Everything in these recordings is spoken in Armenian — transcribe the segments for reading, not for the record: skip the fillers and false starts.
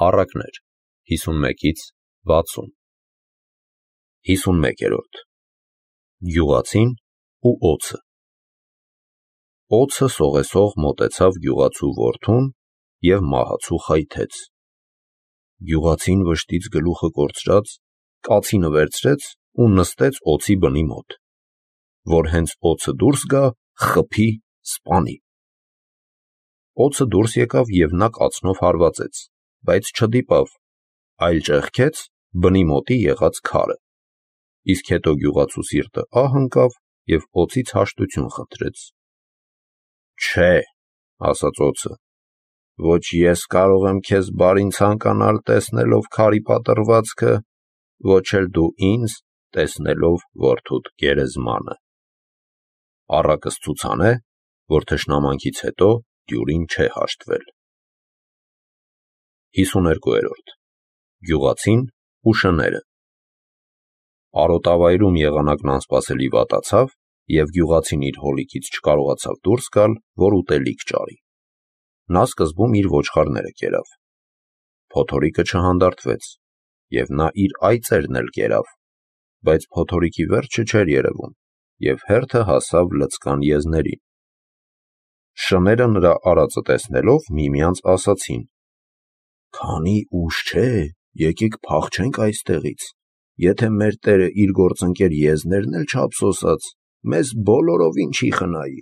Առակներ 51-ից 60 51-րդ Գյուղացին ու օձը Օձը սողեսող մոտեցավ գյուղացու որդուն և մահացու խայթեց։ Գյուղացին վշտից գլուխը կորցրած կացինը վերցրեց ու նստեց օձի բնի մոտ, որ հենց օձը դուրս գա, խփի, սպանի։ Օձը դուրս եկավ և նա կացնով հարվածեց, բայց չդիպավ, այլ ճեղքեց բնի մոտի եղած քարը, իսկ հետո գյուղացու սիրտը ահ ընկավ և օձից հաշտություն խնդրեց։ Չէ, ասաց օձը, ոչ ես կարող եմ քեզ բարին ցանկանալ տեսնելով քարի պատռվածքը, ոչ էլ դու ինձ տեսնելով որդուդ գերեզմանը։ Առակս ցուցան է, որ թշնամանքից հետո դյուրին չէ հաշտվել։ 52-րդ Գյուղացին ու շները Արոտավայրում եղանակն անսպասելի վատացավ, և գյուղացին իր հոլիկից չկարողացավ դուրս գալ, որ ուտելիք ճարի։ Նա սկզբում իր ոչխարները կերավ։ Փոթորիկը չհանդարտվեց, և նա իր այծերն էլ կերավ, բայց փոթորիկի վերջը չէր երևում, և հերթը հասավ լցկան եզներին։ Շները նրա արածը տեսնելով միմյանց ասացին. «Քանի ուշ չէ, եկեք փախչենք այստեղից, եթե մեր տերը իր գործընկեր եզներն էլ չափսոսած, մեզ բոլորովին չի խնայի»։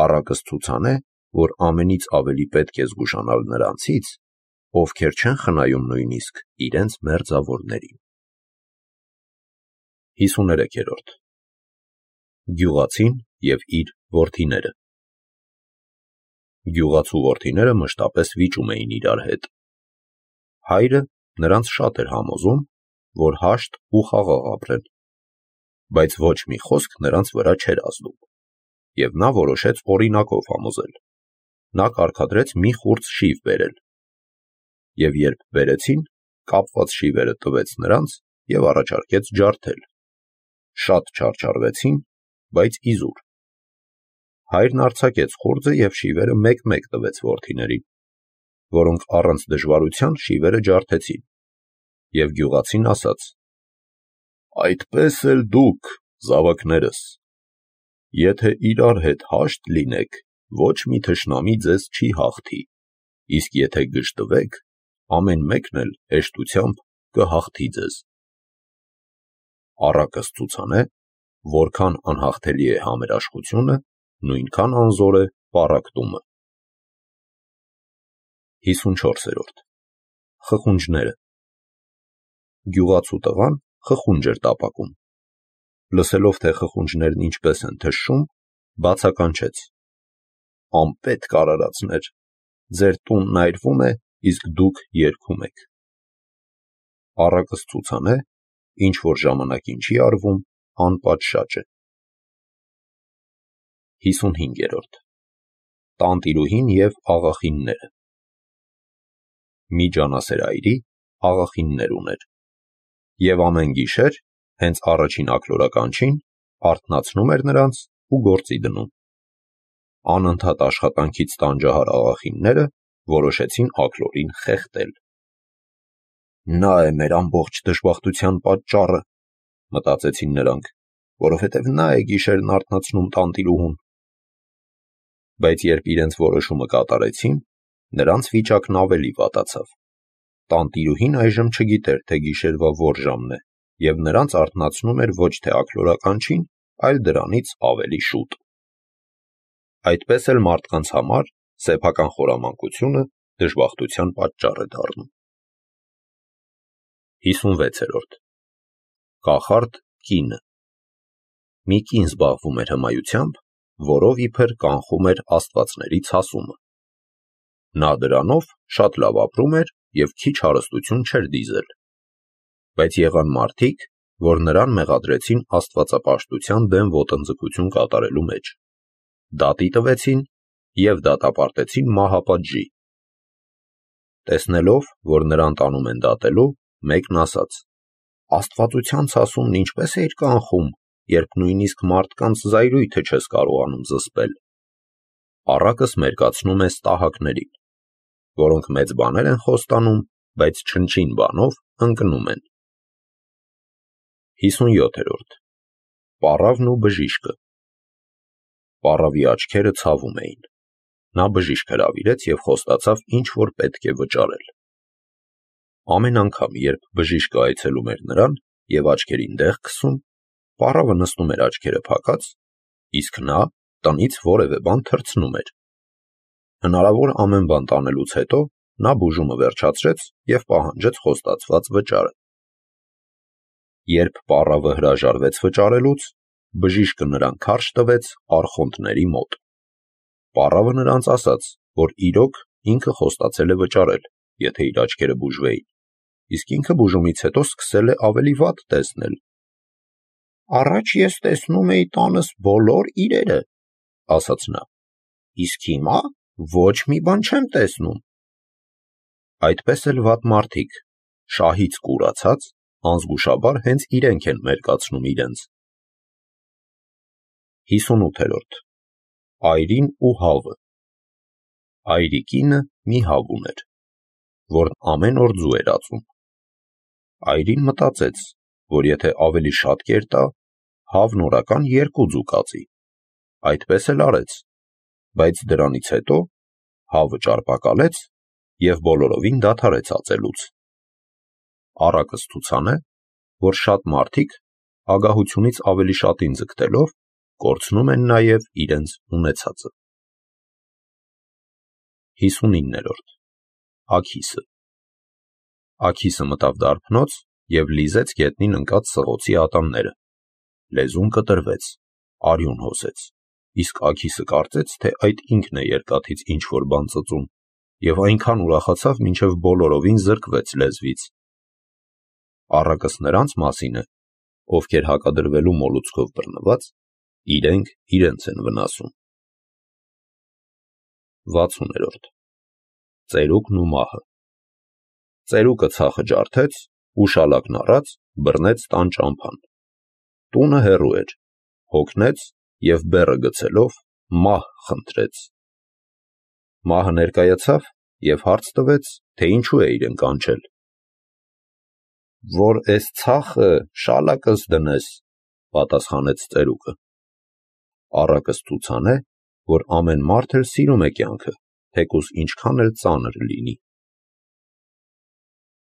Առակս ցուցան է, որ ամենից ավելի պետք է զգուշանալ նրանցից, ովքեր չեն խնայում նույնիսկ իրենց մերձավորներին։ 53-րդ Գյուղացին և իր որդիները Գյուղացու որդիները մշտապես վիճում էին իրար հետ։ Հայրը նրանց շատ էր համոզում, որ հաշտ ու խաղաղ ապրեն, բայց ոչ մի խոսք նրանց վրա չէր ազդում, և նա որոշեց օրինակով համոզել։ Նա կարգադրեց մի խուրձ շիվ բերել, և երբ բերեցին, կապված շիվերը տվեց նրանց և առաջարկեց ջարդել։ Շատ չարչարվեցին, բայց իզուր։ Հայրն արձակեց խուրձը և շիվերը մեկ-մեկ տվեց որդիներին, որոնք առանց դժվարության շիվերը ջարդեցին, և գյուղացին ասաց. «Այդպես էլ դուք, զավակներս, եթե իրար հետ հաշտ լինեք, ոչ մի թշնամի ձեզ չի հաղթի, իսկ եթե գժտվեք, ամեն մեկն էլ հեշտությամբ կհաղթի ձեզ»։ Առակս ցուցան է, որքան անհաղթելի է համերաշխությունը, նույնքան անզոր է պառակտումը։ 54-րդ Խխունջները Գյուղացու տղան խխունջ էր տապակում։ Լսելով, թե խխունջներն ինչպես են թշշում, բացականչեց. «Անպետք արարածներ, ձեր տունն այրվում է, իսկ դուք երգում եք»։ Առակս ցուցան է, ինչ որ ժամանակին չի արվում, անպատշաճ է։ 55-րդ Տանտիրուհին և աղախինները Մի ջանասեր այրի աղախիններ ուներ, և ամեն գիշեր, հենց առաջին աքլորականչին, արթնացնում էր նրանց ու գործի դնում։ Անընդհատ աշխատանքից տանջահար աղախինները որոշեցին աքլորին խեղդել։ «Նա է մեր ամբողջ դժբախտության պատճառը», մտածեցին նրանք, որովհետև նա է գիշերն արթնացնում տանտիրուհուն։ Բայց երբ իրենց որոշումը կատարեցին, նրանց վիճակն ավելի վատացավ։ Տանտիրուհին այժմ չգիտեր, թե գիշերվա որ ժամն է, և նրանց արթնացնում էր ոչ թե աքլորականչին, այլ դրանից ավելի շուտ։ Այդպես էլ մարդկանց համար սեփական խորամանկությունը դժբախտության պատճառ է դառնում։ 56-րդ Կախարդ կինը Մի կին զբաղվում էր հմայությամբ, որով իբր կանխում էր աստվածների ցասումը։ Նա դրանով շատ լավ ապրում էր և քիչ հարստություն չէր դիզել։ Բայց եղան մարդիկ, որ նրան մեղադրեցին աստվածապաշտության դեմ ոտնձգություն կատարելու մեջ, դատի տվեցին և դատապարտեցին մահապատժի։ Տեսնելով, որ նրան տանում են դատելու, մեկն ասաց. «Աստվածության ցասումն ինչպես էիր կանխում, երբ նույնիսկ մարդկանց զայրույթը չես կարողանում զսպել»։ Առակս մերկացնում է ստահակներին։ որոնք մեծ բաներ են խոստանում, բայց չնչին բանով ընկնում են։ 57. Պառավն ու բժիշկը։ Պառավի աչքերը ցավում էին։ Նա բժիշկ հրավիրեց և խոստացավ ինչ-որ պետք է վճարել։ Ամեն անգամ, երբ բժիշկը այցելում էր նրան և աչքերին դեղ քսում, պառավը նստում էր աչքերը փակած, իսկ նա տնից որևէ բան թռցնում էր։ Հնարավոր ամեն բան տանելուց հետո նա բուժումը վերջացրեց և պահանջեց խոստացված վճարը։ Երբ պառավը հրաժարվեց վճարելուց, բժիշկը նրան քարշ տվեց արխոնտների մոտ։ Պառավը նրանց ասաց, որ իրոք ինքը խոստացել է վճարել, եթե իր աչքերը բուժվեին, իսկ ինքը բուժումից հետո սկսել է ավելի վատ տեսնել։ «Առաջ ես տեսնում էի տանս բոլոր իրերը», ասաց նա, «իսկ հիմա ոչ մի բան չեմ տեսնում»։ Այդպես էլ վատ մարդիկ, շահից կուրացած, անզգուշաբար հենց իրենք են մերկացնում իրենց։ 58. Այրին ու հավը։ Այրի կինը մի հավ ուներ, որն ամեն օր ձու էր ածում։ Այրին մտածեց, որ եթե ավելի շատ կեր տա, հավն օրական 2 ձու կածի։ Այդպես էլ արեց, բայց դրանից հետո հավը ճարպակալեց և բոլորովին դադարեց ածելուց։ Առակը ստուցան է, որ շատ մարդիկ ագահությունից ավելի շատին ձգտելով կորցնում են նաև իրենց ունեցածը։ 59. Աքիսը։ Աքիսը մտավ դարբնոց և լիզեց գետնին ընկած սղոցի ատամները։ Լեզուն կտրվեց, արյուն հոսեց, իսկ Աքիսը կարծեց, թե այդ ինքն է երկաթից ինչ-որ բան ծծում, և այնքան ուրախացավ, մինչև բոլորովին զրկվեց լեզվից։ Առակս նրանց մասին է, ովքեր հակադրվելու մոլուցքով բռնված, իրենք իրենց են վնասում։ 60. Ծերուկն ու մահը։ Ծերուկը ցախը ջարդեց ու շալակն առած բռնեց տան ճամփան։ Տունը հեռու էր, հոգնեց և բեռը գցելով մահ խնդրեց։ Մահը ներկայացավ և հարց տվեց, թե ինչու է իրեն կանչել։ «Որ էս ցախը շալակս դնես», պատասխանեց ծերուկը։ Առակը ստուցան է, որ ամեն մարդ էլ սիրում է կյանքը, թեկուզ ինչքան էլ ծանր լինի։